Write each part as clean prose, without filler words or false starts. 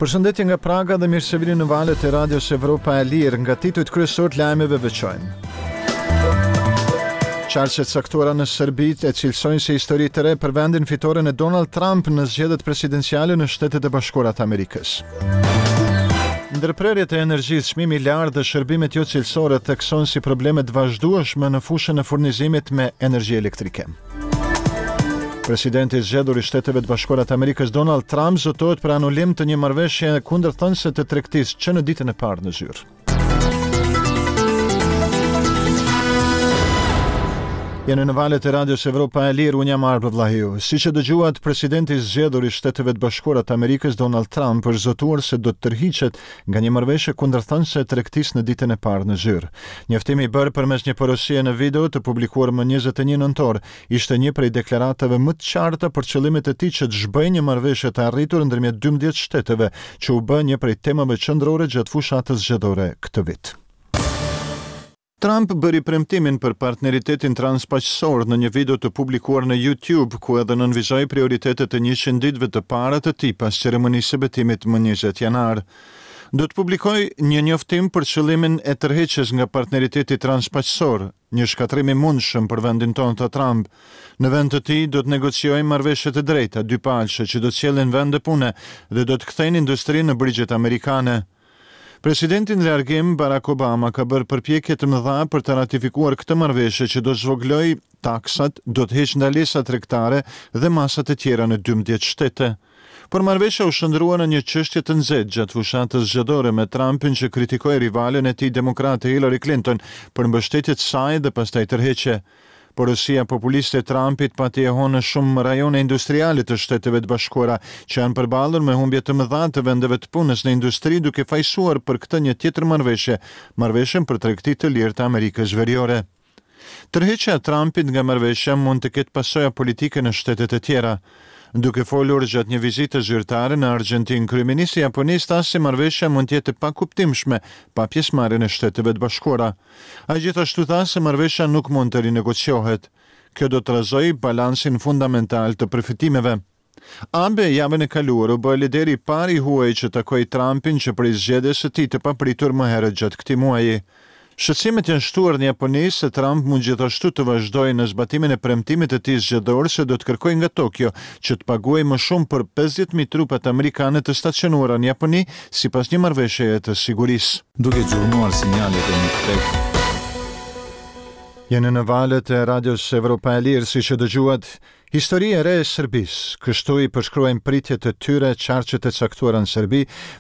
Përshëndetje nga Praga dhe mirë se vini në valët e Radios Evropa e Lirë. Nga titujt kryesorë të lajmeve veçojmë. Qarqe të caktuara në Serbi e cilësojnë si histori të re për vendin fitoren e Donald Trump në zgjedhjet presidenciale në Shtetet e Bashkuara të Amerikës. Ndërprerjet e energjisë, çmimi i lartë dhe shërbimet jo cilësore theksohen si probleme të vazhdueshme në fushën e furnizimit me energji elektrike. Presidenti i zgjedhur i Shteteve të Bashkuara të Amerikës Donald Trump zotohet për anulim të një marrëveshje kundërthënëse të tregtisë që në ditën e parë në zyrë. Jeni në valët e Radios Evropa e Lirë, unë jam Arbër Vllahiu. Siç e dëgjuat, presidenti i zgjedhur i Shteteve të Bashkuara të Amerikës Donald Trump është zotuar se do të tërhiqet nga një marrëveshje kundërthënëse e tregtisë në ditën e parë në zyrë. Njoftimi i bërë përmes një porosie në video të publikuar më 21 nëntor, ishte një prej deklaratave më të qarta për qëllimet e tij që të zhbëjë një marrëveshje të arritur ndërmjet 12 shteteve, që u bë një prej temave qendrore gjatë fushatës zgjedhore këtë vit. Trump bëri premtimin për partneritetin transpaqësor në një video të publikuar në YouTube, ku edhe nënvizoi prioritetet e 100 ditëve të para të tij pas ceremonisë së betimit më 20 janar. Do të publikoj një njoftim për qëllimin e tërheqjes nga partneriteti transpaqësor, një shkatërrim i mundshëm për vendin tonë, tha Trump. Në vend të tij, do të negociojmë marrëveshje të drejta, dypalëshe, që do të sjellin vende pune dhe do të kthejnë industrinë në brigjet amerikane. Presidenti në largim, Barack Obama, ka bërë përpjekje të mëdha për të ratifikuar këtë marrëveshje që do të zvogëlojë taksat, do të heqë ndalesa tregtare dhe masa të tjera në 12 shtete. Por marrëveshja u shndërrua në një çështje të nxehtë gjatë fushatës zgjedhore me Trumpin që kritikoi rivalen e tij demokrate Hillary Clinton për mbështetje të saj dhe pastaj tërheqje. Porosia populiste e Trumpit pati jehonë në shumë rajone industriale të Shteteve të Bashkuara, që janë përballur me humbje të mëdha të vendeve të punës në industri duke fajësuar për këtë një tjetër marrëveshje, marrëveshjen për tregti të lirë të Amerikës Veriore. Tërheqja e Trumpit nga marrëveshja mund të ketë pasoja politike në shtetet e tjera. Duke folur gjatë një vizite zyrtare në Argjentinë, kryeministri i Japonisë tha se marrëveshja mund të jetë e pakuptimshme pa pjesëmarrjen e Shteteve të Bashkuara. Ai gjithashtu tha se marrëveshja nuk mund të rinegociohet. Kjo do të trazojë balansin fundamental të përfitimeve. Abe javën e kaluar u bë lideri i parë i huaj që takoi Trumpin që prej zgjedhjes së tij të papritur më herët gjatë këtij muaji. Shqetësimet janë shtuar në Japoni se Trump mund gjithashtu të vazhdojë në zbatimin e premtimit të tij zgjedhor se do të kërkojë nga Tokio që të paguajë më shumë për 50.000 trupat amerikane të stacionuara në Japoni sipas një marrëveshjeje të sigurisë. Duke gjurmuar sinjalet e një kthese. Jeni në valët e Radios Evropa e Lirë, siç e dëgjuat, histori e re e Serbisë. Kështu i përshkruajnë pritjet e tyre qarqet e caktuara në Serbi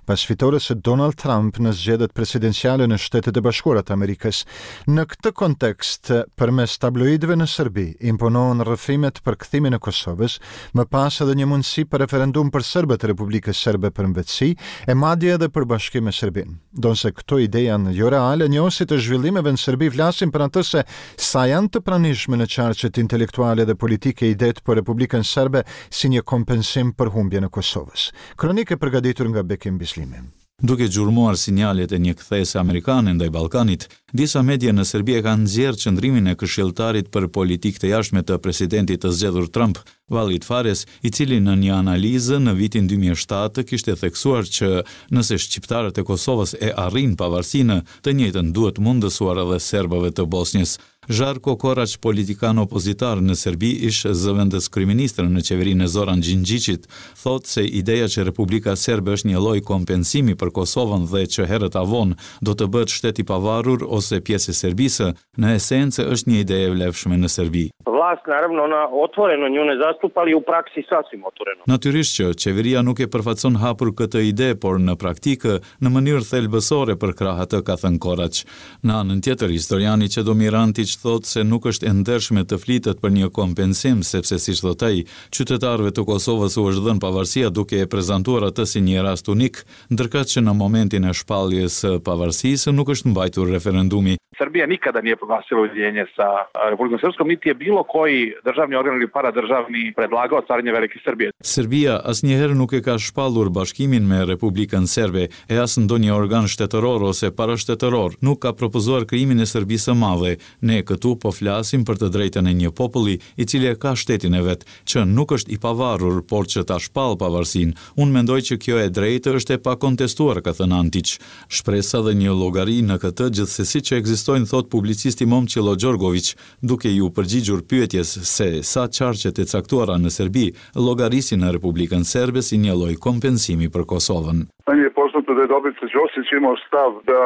pas fitores së Donald Trump në zgjedhjet presidenciale në Shtetet e Bashkuara të Amerikës. Në këtë kontekst, përmes tabloidëve në Serbi, imponohen rrëfimet për kthimin e Kosovës, më pas edhe një mundësi për referendum për serbët e Republikës Serbe për mëvetësi, e madje edhe për bashkim me Serbinë. Ndonëse këto ide janë jo reale, njohësit e zhvillimeve në Serbi flasin për atë se sa janë të pranishme në qarqet intelektuale dhe politike idetë për Republikën Serbe si një kompensim për humbjen e Kosovës. Kronikë e përgatitur nga Bekim Bislimi. Duke gjurmuar sinjalet e një kthese amerikane ndaj Ballkanit, disa media në Serbi e kanë nxjerrë qëndrimin e këshilltarit për politikë të jashtme të presidentit të zgjedhur Trump, Walid Phares, i cili në një analizë në vitin 2007 kishte theksuar që nëse shqiptarët e Kosovës e arrijnë pavarësinë, të njëjtën duhet mundësuar edhe serbëve të Bosnjës. Zharko Koraç, politikan opozitar në Serbi, ish zëvendëskryeministër në qeverinë e Zoran Gjingjiqit, thotë se ideja që Republika Serbe është një lloj kompensimi për Kosovën dhe që herët a vonë do të bëhet shtet i pavarur ose pjesë e Serbisë, në esencë është një ide e vlefshme në Serbi. Vlast naravno ona otvoreno nju ne zastupa, ali u praksi sasvim otvoreno. Natyrisht që qeveria nuk e përfaqëson hapur këtë ide, por në praktikë, në mënyrë thelbësore përkrah atë, ka thënë Koraç. Në anën tjetër, historiani Çedomir Antiq thotë se nuk është e ndershme të flitet për një kompensim, sepse siç thotë ai, qytetarëve të Kosovës u është dhënë pavarësia duke e prezantuar atë si një rast unik, ndërkaq që në momentin e shpalljes së pavarësisë nuk është mbajtur referendum. referendumi. Srbija nikada nije proglasila ujedinjenje sa Republikom Srpskom, niti je bilo koji državni organ ili paradržavni predlagao stvaranje Velike Srbije. Serbia asnjëherë nuk e ka shpallur bashkimin me Republikën Serbe, e as ndonjë organ shtetëror ose parashtetëror nuk ka propozuar krijimin e Serbisë së Madhe. Ne këtu po flasim për të drejtën e një populli, i cili e ka shtetin e vet, që nuk është i pavarur, por që ta shpallë pavarësinë. Unë mendoj që kjo e drejtë është e pakontestuar, ka thënë Antiq. Shpresa dhe një llogari në këtë gjithsesi që ekzistojnë, thotë publicisti Momçillo Gjorgoviq, duke iu përgjigjur pyetjes se sa qarqet e caktuara në Serbi llogarisin në Republikën Serbe si një lloj kompensimi për Kosovën. Meni je poznato da je Dobrica Ćosić imao stav da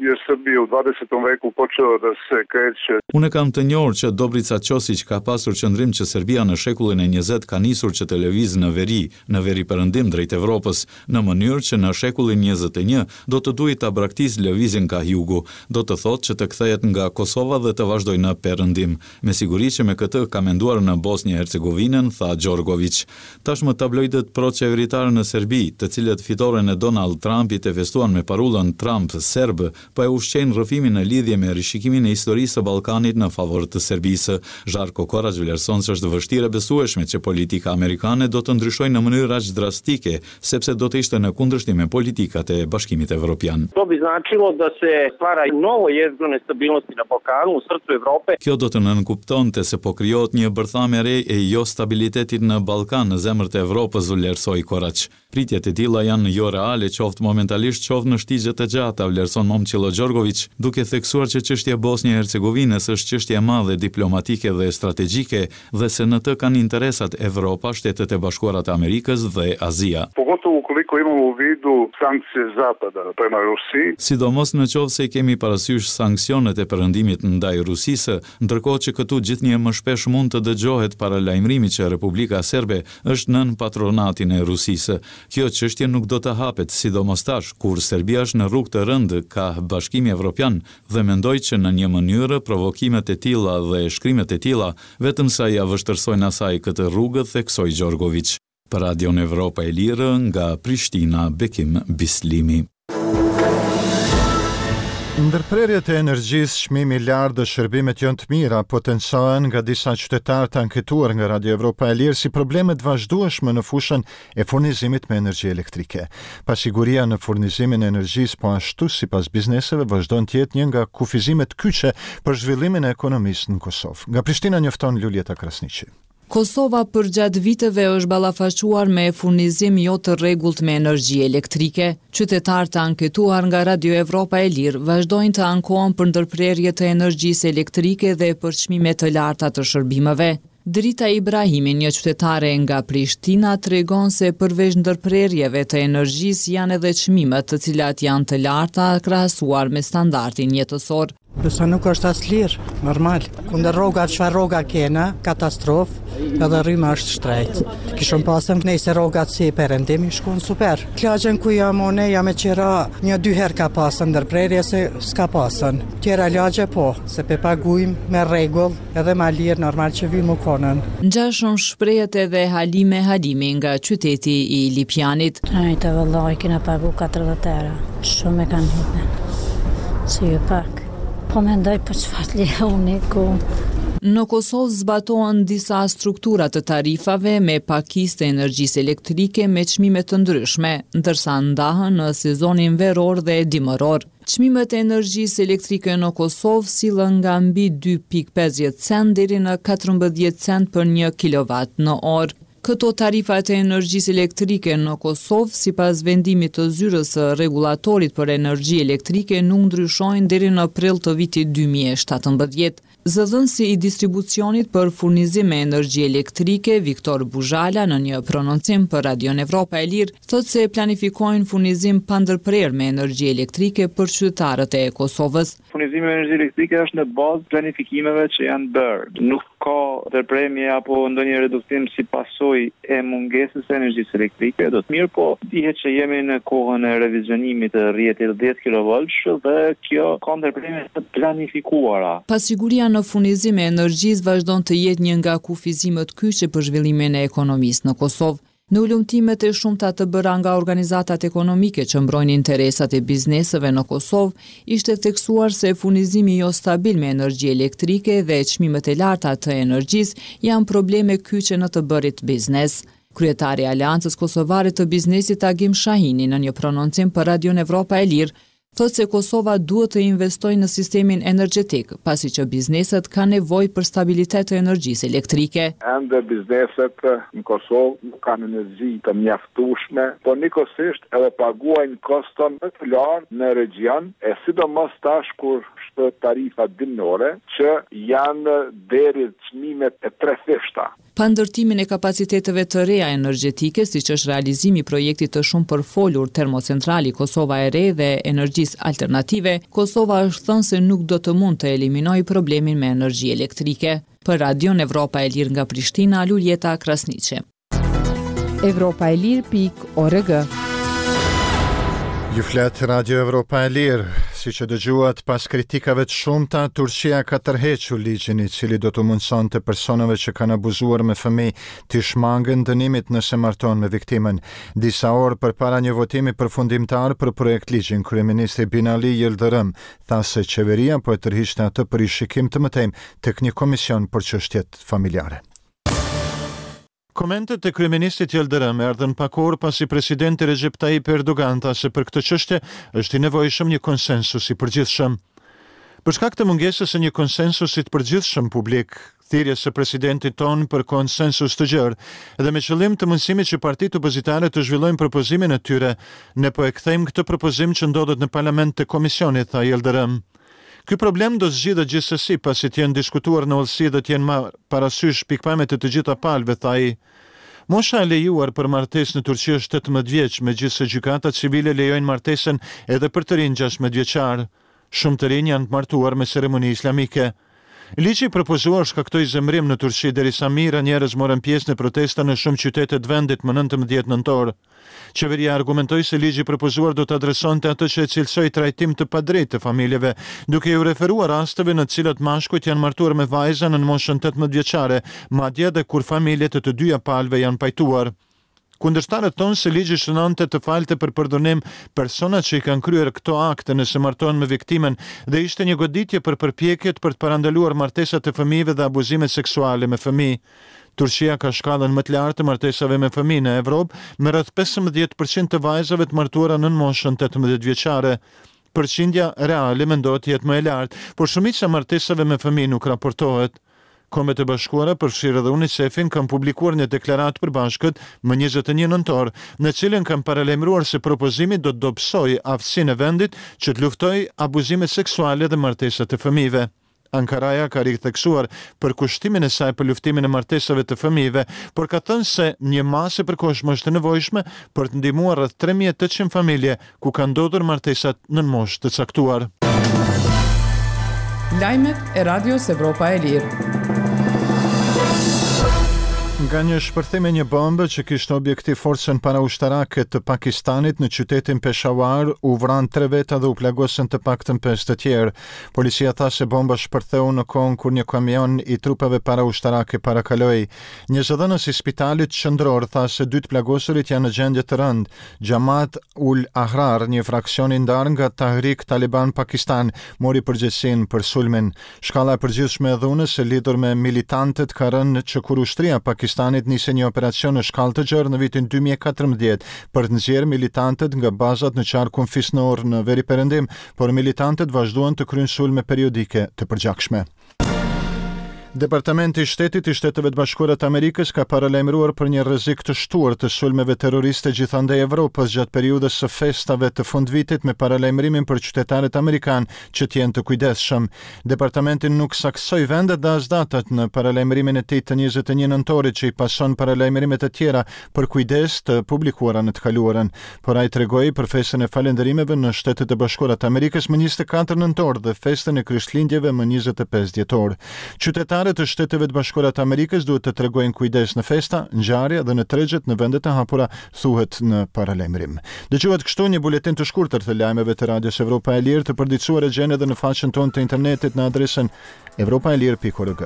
je Srbija u 20. veku počela da se kreće. Unë e kam të njohur që Dobrica Ćosić ka pasur qëndrim që Serbia në shekullin e njëzet ka nisur që të lëvizë në veri, në veriperëndim drejt Evropës, në mënyrë që në shekullin 21 do të duhej ta braktisë lëvizjen kah jugu, do të thotë që të kthehet nga Kosova dhe të vazhdojë në perëndim. Me siguri që me këtë ka menduar në Bosnjë e Hercegovinën, tha Gjorgoviq. Tashmë tabloidët pro-qeveritarë në Serbi, të cilët fitoren e Donald Trumpit e festuan me parullën Trump serb, po e ushqejnë rrëfimin në lidhje me rishikimin e historisë së Ballkanit në favor të Serbisë. Zharko Koraq vlerëson se është vështirë e besueshme që politika amerikane do të ndryshojë në mënyrë aq drastike, sepse do të ishte në kundërshtim me politikat e Bashkimit Evropian. To bi značilo da se stvara novo jezgro nestabilnosti na Balkanu, u srcu Evrope. Kjo do të nënkuptonte se po krijohet një bërthamë e re e jostabilitetit në Ballkan, në zemër të Evropës, vlerësoi Koraq. Pritjet e tilla janë joreale qoftë momentalisht qoftë në shtigje të gjata, vlerëson Momçillo Gjorgoviq, duke theksuar që çështja e Bosnjë e Hercegovinës është çështje e madhe diplomatike dhe strategjike dhe se në të kanë interesat Evropa, Shtetet e Bashkuara të Amerikës dhe Azia. Pogotovo ukoliko imamo u vidu sankcije Zapada prema Rusiji. Sidomos në qoftë se i kemi parasysh sanksionet e Perëndimit ndaj Rusisë, ndërkohë që këtu gjithnjë e më shpesh mund të dëgjohet paralajmërimi që Republika Serbe është nën patronatin e Rusisë. Kjo çështje nuk do të hapet, sidomos tash, kur Serbia është në rrugë të rëndë kah Bashkimi Evropian dhe mendoj që në një mënyrë provokimet e tilla dhe shkrimet e tilla vetëm sa ia vështirësojnë asaj këtë rrugë, theksoi Gjorgoviq. Për Radion Evropa e Lirë, nga Prishtina, Bekim Bislimi. Ndërprerjet e energjisë, çmimi i lartë dhe shërbimet jo të mira potencohen nga disa qytetarë të anketuar nga Radio Evropa e Lirë si probleme të vazhdueshme në fushën e furnizimit me energji elektrike. Pasiguria në furnizimin e energjisë po ashtu sipas bizneseve vazhdon të jetë një nga kufizimet kyçe për zhvillimin e ekonomisë në Kosovë. Nga Prishtina njofton Luljeta Krasniqi. Kosova përgjatë viteve është ballafaquar me furnizim jo të rregullt me energji elektrike. Qytetarë të anketuar nga Radio Evropa e Lirë vazhdojnë të ankohen për ndërprerje të energjisë elektrike dhe për çmime të larta të shërbimeve. Drita Ibrahimi, një qytetare nga Prishtina, tregon se përveç ndërprerjeve të energjisë janë edhe çmimet, të cilat janë të larta krahasuar me standardin jetësor. Përsa nuk është as lirë, normal. Kundër rroga, çfarë rroga kena, katastrofë, edhe rryma është shtrejt. Kishëm pasën nejse rrogat si perëndim, i shkon super. Lagjen ku jam unë, jam e qira, një dy herë ka pasën ndërprerje se s'ka pasën. Tjera lagje po, se pe pagujmë me rregull, edhe ma lirë, normal që vymë u konën. Ngjashëm shprehet edhe Halime Halimi nga qyteti i Lipjanit. Ajte vëllai kena pagu 40 euro, shumë e kanë hipën, si ju pak. Po mendoj po çfarë le unë ku. Në Kosovë zbatohen disa struktura të tarifave me pakicë të energjisë elektrike me çmime të ndryshme, ndërsa ndahen në sezonin veror dhe dimëror. Çmimet e energjisë elektrike në Kosovë sillen nga mbi 2.50 cent deri në 14 cent për një kilovat në orë. Këto tarifa të energjisë elektrike në Kosovë, sipas vendimit të Zyrës së Rregullatorit për Energji Elektrike nuk ndryshojnë deri në prill të vitit 2017. Zëdhënësi i distribucionit për furnizim me energji elektrike, Viktor Buzhala, në një prononcim për Radion Evropa e Lirë, thotë se planifikojnë furnizim pa ndërprerë me energji elektrike për qytetarët e Kosovës. Furnizimi me energji elektrike është në bazë planifikimeve që janë bërë. Nuk ka ndërprerje apo ndonjë reduktim si pasojë e mungesës së energjisë elektrike, do të mirëpo dihet që jemi në kohën e revizionimit të rrjetit 10 kilovoltsh dhe kjo ka ndërprerje të planifikuara. Pasiguria në furnizim e energjisë vazhdon të jetë një nga kufizimet kyçe për zhvillimin e ekonomisë në Kosovë. Në hulumtimet e shumta të bëra nga organizatat ekonomike që mbrojnë interesat e bizneseve në Kosovë, ishte theksuar se furnizimi jo stabil me energji elektrike dhe çmimet e larta të energjisë janë probleme kyçe në të bërit biznes. Kryetari i Aleancës Kosovare të Biznesit Agim Shahini në një prononcim për Radion Evropa e Lirë, thotë se Kosova duhet të investojë në sistemin energjetik, pasi që bizneset kanë nevojë për stabilitet të energjisë elektrike. Ende bizneset në Kosovë nuk kanë energji të mjaftueshme, por njëkohësisht edhe paguajnë koston më të lartë në regjion, e sidomos tash kur shtohet tarifa dimnore, që janë deri çmimet e trefishta. Pa ndërtimin e kapaciteteve të reja energjetike, siç është realizimi i projektit të shumëpërfolur Termocentrali Kosova e Re dhe energjisë alternative, Kosova është thënë se nuk do të mund të eliminojë problemin me energji elektrike. Për Radion Evropa e Lirë nga Prishtina, Luljeta Krasniqi. Evropa e Lirë pikë org. Ju flet Radio Evropa e Lirë. Siç e dëgjuat, pas kritikave të shumta, Turqia ka tërhequr ligjin i cili do t'u mundësonte personave që kanë abuzuar me fëmijë t'i shmangen dënimit nëse martohen me viktimën. Disa orë përpara një votimi përfundimtar për projektligjin, kryeministri Binali Yildirim tha se qeveria po e tërhiqte atë për rishikim të mëtejmë tek një komision për çështjet familjare. Komentet e kryeministrit Yildirim erdhën pak orë pasi presidenti Recep Tayyip Erdogan tha se për këtë çështje është i nevojshëm një konsensus i përgjithshëm. Për shkak të mungesës së një konsensusi të përgjithshëm publik, thirrjes së presidentit tonë për konsensus të gjerë dhe me qëllim të mundësimit që partitë opozitare të zhvillojnë propozimin e tyre, ne po e kthejmë këtë propozim që ndodhet në parlament te komisioni, tha Yildirim. Ky problem do të zgjidhet gjithsesi pasi të jenë diskutuar në hollësi dhe të jenë marrë parasysh pikëpamjet e të gjitha palëve, tha ai. Mosha e lejuar për martesë në Turqi është 18 vjeç, megjithëse gjykatat civile lejojnë martesën edhe për të rinj 16 vjeçarë. Shumë të rinj janë të martuar me ceremoni islamike. Ligji i propozuar shkaktoi zemërim në Turqi derisa mijëra njerëz morën pjesë në protesta në shumë qytete të vendit më 19 nëntor. Qeveria argumentoi se ligji i propozuar do të adresonte atë që e cilësoi trajtim të padrejtë të familjeve, duke iu referuar rasteve në të cilat mashkujt janë martuar me vajza nën moshën 18 vjeçare, madje edhe kur familjet e të dyja palëve janë pajtuar. Kundërshtarët thonë se ligji synonte të falte për përdhunim personat që i kanë kryer këto akte nëse martohen me viktimën dhe ishte një goditje për përpjekjet për të parandaluar martesat e fëmijëve dhe abuzimet seksuale me fëmijë. Turqia ka shkallën më të lartë të martesave me fëmijë në Evropë, me rreth 15 për qind të vajzave të martuara nën moshën 18 vjeçare. Përqindja reale mendohet të jetë më e lartë, por shumica e martesave me fëmijë nuk raportohet. Kombet e Bashkuara, përfshirë edhe UNICEF-in, kanë publikuar një deklaratë të përbashkët më 21 nëntor, në të cilën kanë paralajmëruar se propozimi do të dobësojë aftësinë e vendit që të luftojë abuzimet seksuale dhe martesat e fëmijëve. Ankaraja ka ritheksuar përkushtimin e saj për luftimin e martesave të fëmijëve, por ka thënë se një masë e përkohshme është e nevojshme për të ndihmuar rreth 3800 familje ku kanë ndodhur martesat nën moshë të caktuar. Lajmet e Radios Evropa e Lirë. Nga një shpërthim i një bombe që kishte objektiv forcën paraushtarake të Pakistanit në qytetin Peshawar, u vranë tre veta dhe u plagosën të paktën pesë të tjerë. Policia tha se bomba shpërtheu në kohën kur një kamion i trupave paraushtarake parakaloi. Një zëdhënës i spitalit qendror tha se dy të plagosurit janë në gjendje të rëndë. Jamaat ul Ahrar, një fraksion i ndarë nga Tahrik Taliban Pakistan, mori përgjegjësinë për sulmin. Shkalla e përgjithshme e dhunës e lidhur me militantët ka rënë që kur ushtria e Pakistanit nisi një operacion në shkallë të gjerë në vitin 2014 për të nxjerrë militantët nga bazat në qarkun fisnor në veriperëndim, por militantët vazhduan të kryejnë sulme periodike të përgjakshme. Departamenti i Shtetit i Shteteve të Bashkuara të Amerikës ka paralajmëruar për një rrezik të shtuar të sulmeve terroriste gjithandej Evropës gjatë periudhës së festave të fundvitit me paralajmërimin për qytetarët amerikanë që të jenë të kujdesshëm. Departamenti nuk saktësoi vendet dhe as datat në paralajmërimin e tij të 21 nëntorit që i pason paralajmërimet e tjera për kujdes të publikuara në të kaluarën. Por ai tregoi për festën e falënderimeve në Shtetet e Bashkuara të Amerikës më 24 nëntor dhe festën e Krishtlindjeve më 25 dhjetor. Qytetarët e Shteteve të Bashkuara të Amerikës duhet të tregojnë kujdes në festa, ngjarje dhe në tregjet në vendet e hapura, thuhet në paralajmërim. Dëgjuat kështu një buletin të shkurtër të lajmeve të Radios Evropa e Lirë të përditësuar e gjeni edhe në faqen tonë të internetit në adresën evropaelire.org.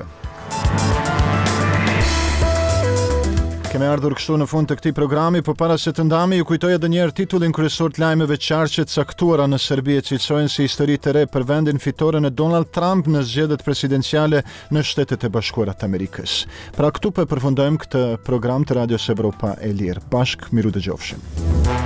Kemi ardhur kështu në fund të këtij programi, por para se të ndahemi, ju kujtoj edhe një herë titullin kryesor të lajmeve qarqe të caktuara në Serbi e cilësojnë si histori të re për vendin fitoren e Donald Trump në zgjedhjet presidenciale në Shtetet e Bashkuara të Amerikës. Pra këtu po e përfundojmë këtë program të Radios Evropa e Lirë. Bashkë mirudëgjofshim.